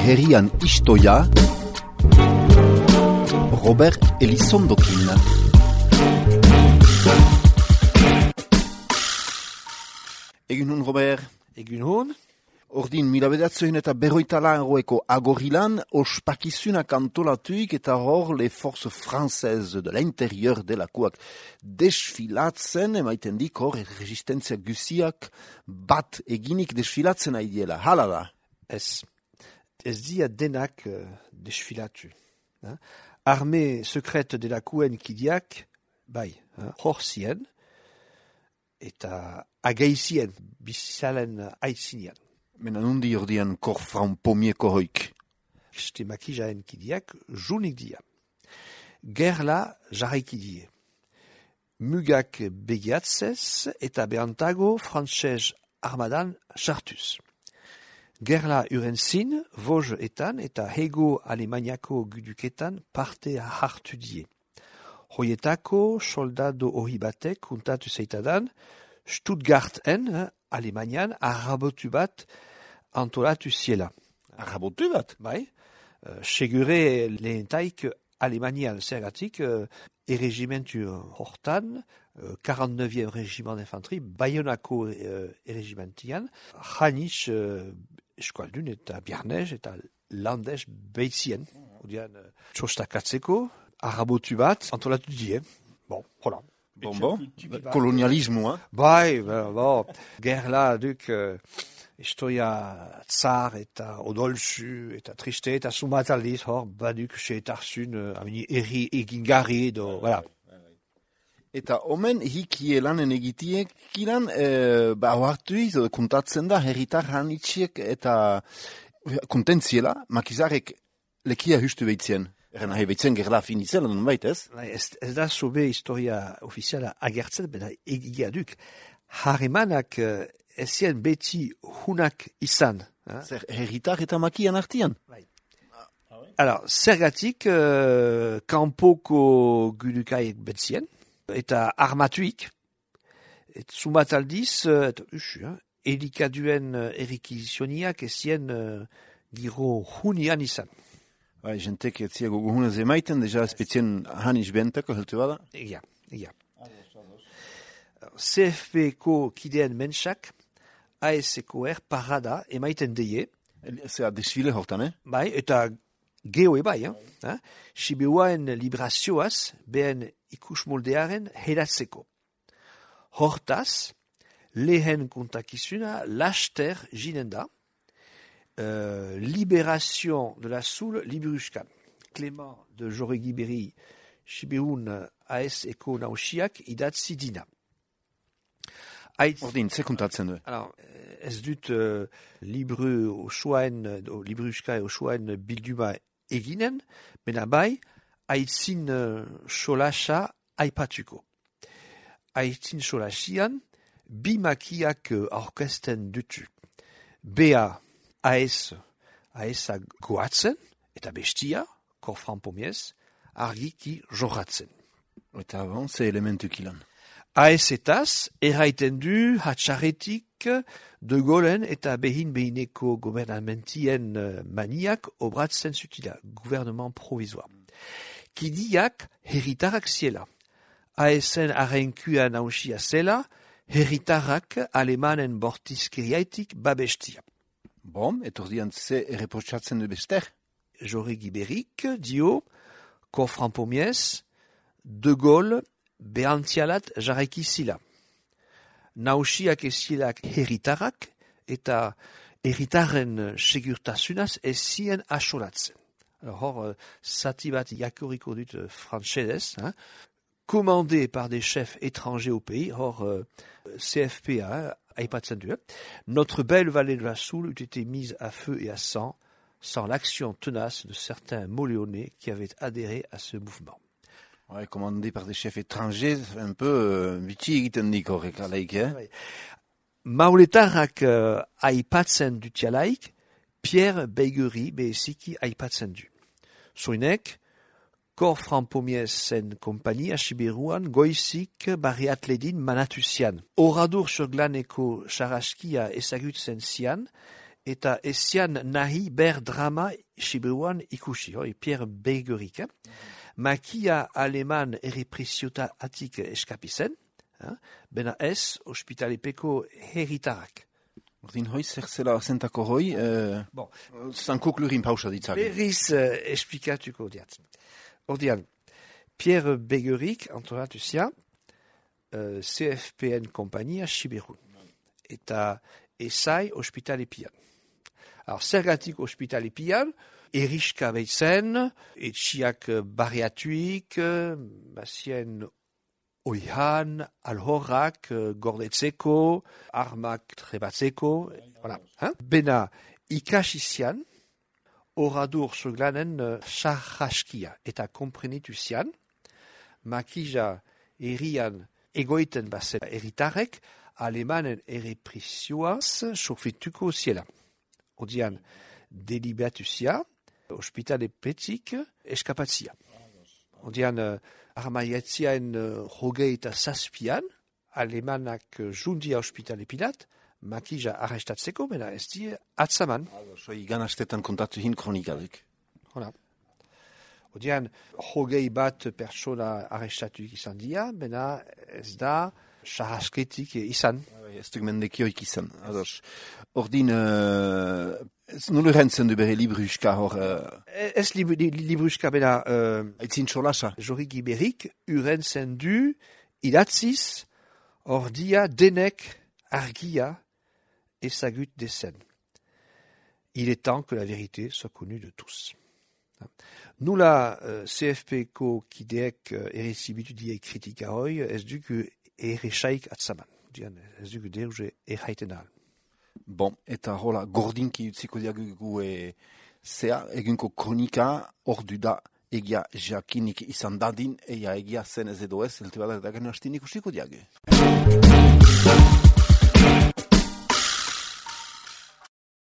herrian istoia, Robert Elizondokin. Egun hon, Robert? Egun hon? Ordin, mila bedatzen eta berroitalaroeko agorilan, ospakizunak antolatuik eta hor les forces françaises de l'intérieur delakoak desfilatzen, emaiten dik hor resistentzia guziak bat eginik desfilatzen aidiela. Hala da? Ez dia denak desfilatu. Armée secrète delakoen kidiak, bai, hor zien, eta agaizien, bizalen aitzinian. Mena nundi ordian kor fraun pomieko hoik. Ste makijaen kidiak junik dia. Gerla jarraiki die. Mugak begiatzez eta behantago frantzez armadan sartuz. Gerla urentzin, voj etan eta hego alemaniako guduketan parte hartu die. Hoietako soldado hori batek kuntatu zeitadan, Stuttgarten, Alemanian, arrabotu bat antolatu ziela. Arrabotu bat? Bai. Segure lehentaik Alemanian zergatik erregimentu hortan, 49e regiment d'infanterie, Bayonako erregimentian, janiz eskualdun eta biarnez eta landez behitzien. Odian, txostakatzeko, arrabotu bat antolatu die. Bon, hola. Bon, kolonialismoa. Bai, bon, gerla duk istoia tsar eta odolzu eta triste eta sumataldiz hor baduk seetarzun erri egingarri edo, voilà. Eta omen hikie lanen egitiek kilan, hoartuiz kontatzen da herritar hanitxiek eta kontentziela, makizarek lekia hustu behitzien. Erren nahi behitzen gerla finitzela non baitez? Ez da sobe historia ofiziala agertzen, bena egia duk. Harremanak ezien beti hunak izan. Zer herritar eta makian artian? Bai. Alors, zergatik kanpoko gudukaik betzien, eta armatuik, et sumataldiz, elikaduen erikizioниak ezien giro hunian izan. Bai, jentek etzia goguhunez emaiten, deja espezien haniz bentako heltu bada? Egia. CFP-ko kideen mensak, ASEKOR parada emaiten deie. Zea desfile hortan, Bai, eta geho bai, Sibiuaen librazioaz, behen ikusmoldearen heratzeko. Hortaz, lehen kontakizuna laster jinen da, Libération de la Soule Libruskan. Clément de Joregi-Berri, Sibiun ASEKO nausiak idatzi dina. Ordin, ze kontatzen du? Alors, ez dut libru osoaen, libruska osoaen bilduma eginen, mena bai, aitzin solasa aipatuko. Aitzin solasian, bi makiak aurkesten dutu. Bea AS-a goatzen, eta bestia, korfran pomiez, argiki jorratzen. Eta bon, ze elementu kilan? AS-etaz, erraiten du hatxarretik de Golen eta behineko gobernamentien maniak obratzen zutila, gouvernement provisoire. Kidiak herritarrak ziela. AS-en arrenkua nausia zela, herritarrak alemanen bortizkeriaitik babestia. Bon, etordian ze erreprotxatzen du bester? Joregi-Berrik dio, korfran pomiez, de Gaulle behantzialat jarraiki zila. Nausiak ezilak herritarrak eta herritarren segurtasunaz ez zien asolatzen. Hor, zati bat jakoriko dut frantzedez, commandé par des chefs étrangers au pays, hor CFPA, aipatzen du. Notre belle vallée de la Soule eût été mise à feu et à sang sans l'action tenace de certains Moléonais qui avaient adhéré à ce mouvement. Ouais, commandé par des chefs étrangers, un peu bitxi egiten dik horrek alaik, Mauletarrak aipatzen dutialaik, Pierre Beigeri beheziki aipatzen du. Soinek, Korfran Pomiezen kompania Sibiruan goizik barriatledin manatuzian. Oradur sur glaneko saraskia ezagutzen zian, eta ezian nahi ber drama Siberuan ikusi, Pierre Begerik. Makia aleman errepresiota atik eskapizen, bena ez ospitalepeko herritarak. Ordin hoi, zer zela zentako hoi, zankok lurin pausa ditzak. Berriz esplikatuko diat. Ordian, Pierre Begerik antolatu zia, CFPN kompania Siberun. Eta esai ospitalepian. Zergatik ospitalepian, eriska behitzen, etxiak barriatuik, bazien oihan, alhorrak, gordetzeko, armak trebatzeko, voilà. Bena ikasizian, oradur zoglanen sarraskia eta komprenitu zian, makija erian egoiten bazen eritarek, alemanen errepresioaz sofituko ziela. Odian, deliberatu zia, ospitale petik eskapatzia. Odian, armaietziaen hogei eta zazpian, alemanak jundia ospitale pilat, makija arrestatzeko, bena ez di atzaman. Soi ganastetan kontatu hin kronikadek. Hola. Odian, hogei bat persona arrestatuik izan dia, bena ez da sarrasketik izan. Ez duk mendekioik izan. Ordin, nulu rentzen du bere libruska hor... Ez libruska bena... Aitzin txolasa. Jorik Iberik urentzen du idatziz ordia denek argia ezagut dezen. Il est temps que la vérité soit connue de tous. Nula CFP-ko kideek errezibitu diek kritika hoi, ez duk erresaik atzaman. Ez duk deruge erraiten ahal. Bon, eta hola, gordinki utziko diagugu zea, egunko kronika ordu da egia jakinik izan dadin, egia zen ez edo ez, elte badak dagen hastinik usiko diagu.